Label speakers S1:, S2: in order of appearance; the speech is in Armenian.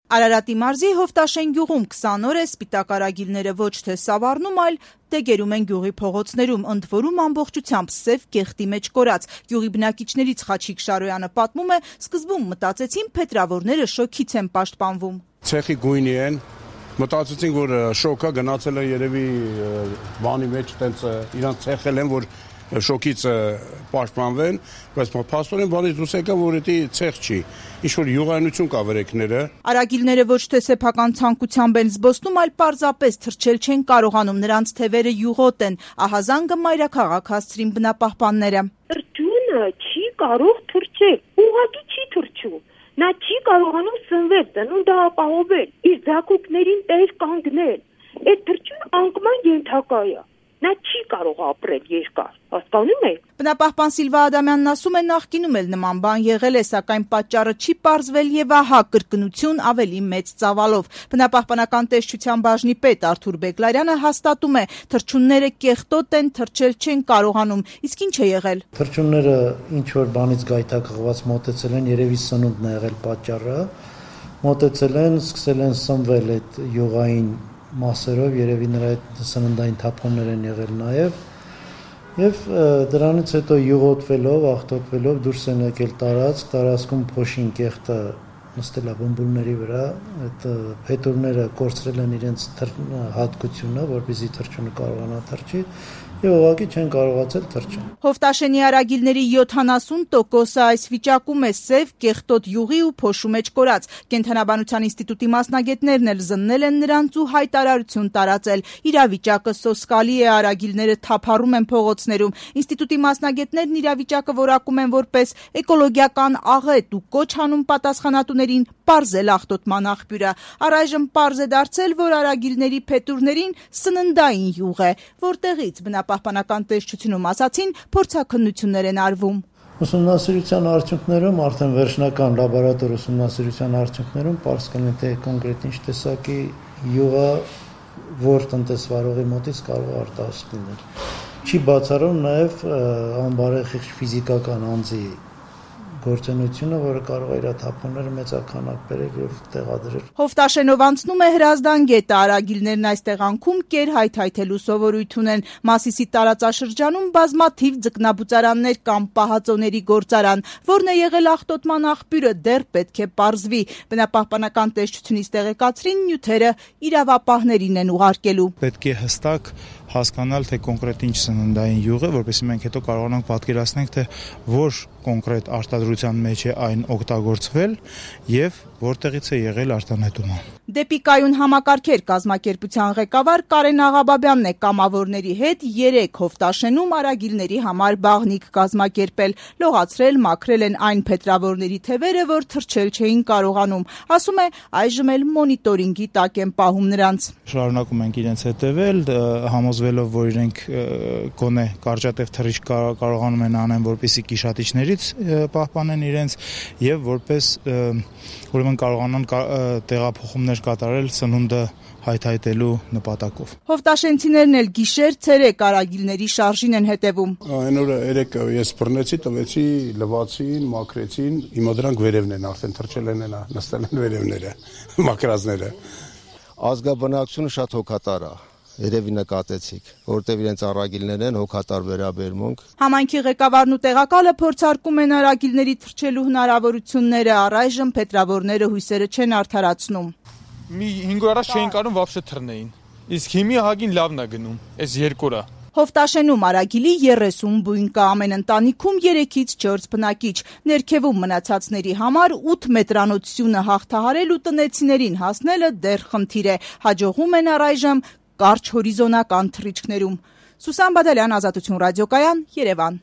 S1: Արարատի մարզի Հովտաշեն գյուղում 20 օր է սպիտակ արագիլները ոչ թե սավառնում, այլ դեգերում են գյուղի փողոցներում, ընդ որում ամբողջությամբ սև կեղտի մեջ կորած։ Գյուղի բնակիչներից Խաչիկ Շարոյանը պատմում է, սկզբում մտածեցին փետրավորները շոքից են պաշտպանվում։
S2: Ցեխի գույնի են, մտածեցին, որ շոկը գնացել է երևի բանի մեջ, տենց իրանց ցեխել են, որ շոկից պաշտպանվեն, բայց փաստորեն բանից դուրս եկավ, որ դա ցեխ չի, ինչ-որ յուղայնություն կա վրեքները։
S1: Արագիլները ոչ թե սեփական ցանկությամբ են զբոսնում, այլ պարզապես թռչել չեն կարողանում, նրանց թևերը յուղոտ են, ահազանգը մայրաքաղաք հասցրին բնապահպանները։
S3: Թռչունը չի կարող թռչել, ուղղակի չի թռչում։ Նա չի կարողանում սնվել, ծնունդը ապահովել, իր ձակուկներին տեր կանգնել։ Այդ թռչունը անկման ենթակա է։ Նա չի կարող ապրել երկար, հասկանում եք։
S1: Բնապահպան Սիլվա Ադամյանն ասում է, նախկինում էլ նման բան եղել է, սակայն պատճառը չի պարզվել եւ ահա կրկնություն ավելի մեծ ծավալով։ Բնապահպանական տեսչության բաժնի պետ Արթուր Բեգլարյանը հաստատում է, թռչունները կեղտոտ են, թռչել չեն կարողանում, իսկ ինչ է եղել։
S4: Թռչունները ինչ որ բանից գայթակղված մոտեցել են, երևի սնունդն է եղել պատճառը, մոտեցել են, սկսել են սնվել այդ յուղային մասերով, երևի նրա այդ սննդային թափոններ են եղել եւ դրանից հետո յուղոտվելով, աղտոտվելով դուրս են եկել տարածքում փոշին կեղտը նստել է բումբուլների վրա, այդ փետուրները կորցրել են իրենց հատկությունը, որպեսզի թռչունը կարողանա թռչի եւ ուղղակի չեն կարողացել թռչել։
S1: Հովտաշենի արագիլների 70%-ը այս վիճակում է սև, կեղտոտ յուղի ու փոշու մեջ կորած։ Կենդանաբանության ինստիտուտի մասնագետներն էլ զննել են նրանց ու հայտարարություն տարածել։ Իրավիճակը սոսկալի է, արագիլները թափառում են փողոցներում։ Ինստիտուտի մասնագետներն իրավիճակը որակում են որպես էկոլոգիական աղետ ու կոչ անում պատասխանատուներին պարզել աղտոտման աղբյուրը։ Առայժմ պարզ է դարձել, որ արագիլների փետուրներին սննդային յուղ է, որտեղից բնապահպանական տեսչությունում ասացին, փորձաքննություններ են արվում։
S4: Ուսումնասիրության արդյունքներում, արդեն վերջնական լաբորատոր ուսումնասիրության արդյունքներում պարզ կլինի, թե կոնկրետ ինչ տեսակի յուղը որ տնտեսվարողի մոտից կարող է արտահայտվել լինել։ Չի բացառում նաև անբարեխիղճ ֆիզիկական անձի գործունեությունը, որը կարող է իր թափոնները մեծականակ բերել եւ տեղադրել։
S1: Հովտաշենով անցնում է Հրազդան գետը, արագիլներն այս տեղանքում կեր հայթայթելու սովորույթ ունեն։ Մասիսի տարածաշրջանում բազմաթիվ ձկնաբուծարաններ կամ պահածոների գործարան, որն է եղել աղտոտման աղբյուրը, դեռ պետք է պարզվի։ Բնապահպանական տեսչությունից տեղեկացրին, նյութերը իրավապահներին են ուղարկելու։
S5: Պետք է հստակ հասկանալ, թե կոնկրետ ինչ սննդային յուղ է, որպեսզի մենք հետո կարողանանք պատկերացնել, թե որ կոնկրետ արտադրության մեջ է այն օգտագործվել եւ որտեղից է եղել արտանետումը։
S1: Դեպի կայուն համակարգեր կազմակերպության ղեկավար Կարեն Աղաբաբյանն է կամավորների հետ 3 Հովտաշենում արագիլների համար բաղնիկ կազմակերպել, լողացրել, մաքրել են այն փետրավորների թևերը, որ թռչել չէին կարողանում։ Ասում է, այժմ էլ մոնիտորինգի տակ են պահում նրանց։
S5: Շարունակում ենք իրենց հետևել, համոզվելով, որ իրենք գոնե կարճատև թռիչք կարողանում են անեն, որպեսզի կիշատիչներից պահպանեն իրենց եւ որպես ուրեմն կարողանան տեղափոխումներ կատարել սնունդը հայթայթելու նպատակով։
S1: Հովտաշենցիներն էլ գիշեր ցերեկ արագիլների շարժին են հետևում։
S2: Այն օրը երեք ես բռնեցի, տվեցի, լվացին, մաքրեցին, հիմա դրանք վերևն են, արդեն թռչել են, նստել են վերևները, մաքրածները։
S6: Ազգաբնակությունը շատ հոգատար է։ Երևի նկատեցիք, որտեղ իրենց արագիլներ են հոգատար վերաբերմունք։
S1: Համայնքի ղեկավարն ու տեղակալը փորձարկում են արագիլների թռչելու հնարավորությունները, առայժմ փետրավորները հույսերը չեն արդարացնում։
S7: Մի 5 օր առաջ չէին կարող вообще թռնեին։ Իսկ հիմի ահագին լավն է գնում, այս 2 օրը։
S1: Հովտաշենում արագիլի 30 բույն կա, ամեն ընտանիքում 3-ից 4 բնակիչ։ Ներքևում մնացածների համար 8 մետրանոցությունը հաղթահարել ու տնեցիներին հասնելը դեռ խնդիր է։ Հաջողում են առայժմ կարճ հորիզոնական թռիչքներում։ Սուսան Բադալյան, Ազատություն ռադիոկայան, Երևան։